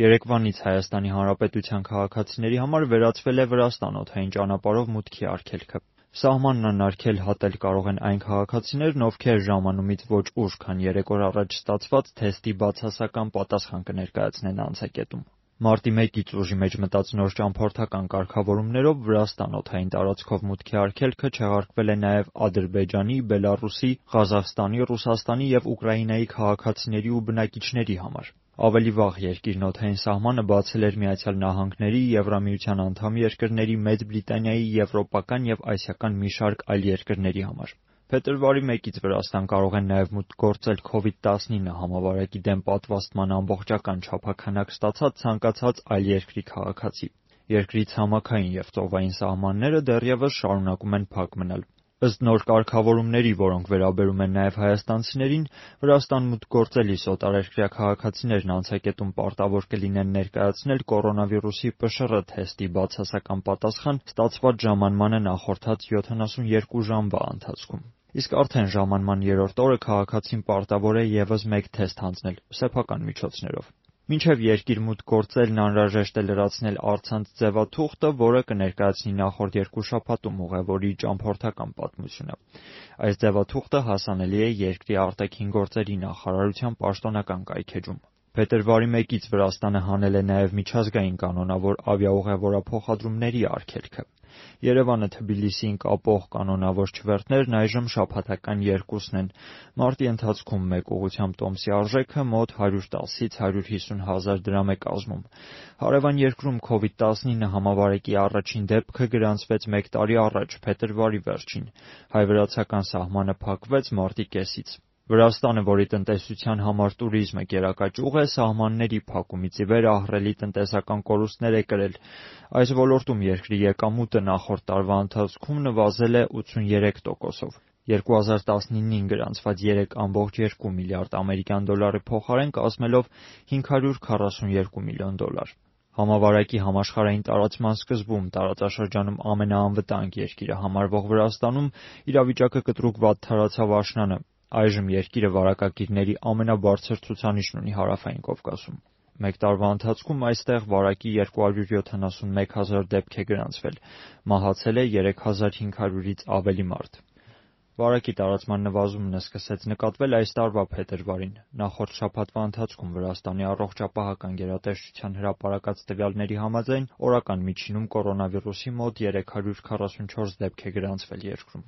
Երեկվանից Հայաստանի Հանրապետության քաղաքացիների համար վերացվել է Վրաստան օդային ճանապարհով մուտքի արգելքը։ Սահմանն անարգել հատել կարող են այն քաղաքացիներն, ովքեր ժամանումից ոչ ուշ, քան 3 օր առաջ ստացված թեստի բացասական պատասխան կներկայացնեն անցակետում։ Մարտի 1-ից ուժի մեջ մտած նոր ճամփորդական կարգավորումներով Վրաստան օդային տարածքով մուտքի արգելքը չեղարկվել է նաև Ադրբեջանի, Բելառուսի, Ղազախստանի, Ռուսաստանի և Ուկրաինայի քաղաքացիների ու բնակիչների համար։ Ավելի վաղ երկիրն օդային սահմանը բացել էր Միացյալ Նահանգների, Եվրամիության անդամ երկրների, Մեծ Բրիտանիայի, եվրոպական և ասիական մի շարք այլ երկրների համար։ Փետրվարի 1-ից Վրաստան կարող են նաև մուտք գործել COVID-19 համավարակի դեմ պատվաստման ամբողջական չափաքանակ ստացած ցանկացած այլ երկրի քաղաքացի։ Երկրի ցամաքային և ծովային սահմանները դեռևս շարունակում են փակ մնալ։ Ըստ նոր կարգավորումների, որոնք վերաբերում են նաև հայաստանցիներին, Վրաստան մուտք գործելիս օտարերկրյա քաղաքացիներն անցակետում պարտավոր կլինեն ներկայացնել կորոնավիրուսի ՊՇՌ թեստի բացասական պատասխան ստացված ժամանմանը նախորդած 72 ժամվա ընթացքում։ Իսկ արդեն ժամանման 3-րդ օրը քաղաքացին պարտավոր է ևս մեկ թեստ հանձնել սեփական միջոցներով։ Մինչև երկիր մուտք գործելն անհրաժեշտ է լրացնել առցանց ձևաթուղթը, որը կներկայացնի նախորդ 2 շաբաթում ուղևորի ճամփորդական պատմությունը։ Այս ձևաթուղթը հասանելի է երկրի արտաքին գործերի նախարարության պաշտոնական կայքէջում։ Փետրվարի 1-ից Վրաստանը հանել է նաև միջազգային կանոնավոր ավիաուղևորափոխադրումների արգելքը։ Երևանը Թբիլիսիին կապող կանոնավոր չվերթներն այժմ շաբաթական 2-ն են։ Մարտի ընթացքում մեկ ուղղությամբ տոմսի արժեքը մոտ 110-ից 150 հազար դրամ է կազմում։ Հարևան երկրում COVID-19 համավարակի առաջին դեպքը գրանցվեց 1 տարի առաջ, փետրվարի վերջին։ Հայ-վրացական սահմանը փակվեց մարտի կեսից։ Վրաստանը, որի տնտեսության համար տուրիզմը գերակա ճյուղ է, սահմանների փակումից ի վեր ահռելի տնտեսական կորուստներ է կրել։ Այս ոլորտում երկրի եկամուտը նախորդ տարվա ընթացքում նվազել է 83%-ով։ 2019-ին գրանցված 3.2 միլիարդ ամերիկյան դոլարի փոխարեն կազմելով $542 միլիոն։ Համավարակի համաշխարհային տարածման սկզբում տարածաշրջանում ամենաանվտանգ երկիրը համարվող Վրաստանում իրավիճակը կտրուկ վատթարացավ աշնանը։ Այժմ երկիրը վարակագիրների ամենաբարձր ցուցանիշն ունի Հարավային Կովկասում։ Մեկ տարվա ընթացքում այստեղ վարակի 271 հազար դեպք է գրանցվել։ Մահացել է 3500-ից ավելի մարդ։ Վարակի տարածման նվազումն սկսեց նկատվել այս տարվա փետրվարին։ Նախորդ շաբաթվա ընթացքում Վրաստանի առողջապահական գերատեսչության հրապարակած տվյալների համաձայն օրական միջինում կորոնավիրուսի մոտ 344 դեպք է գրանցվել երկրում։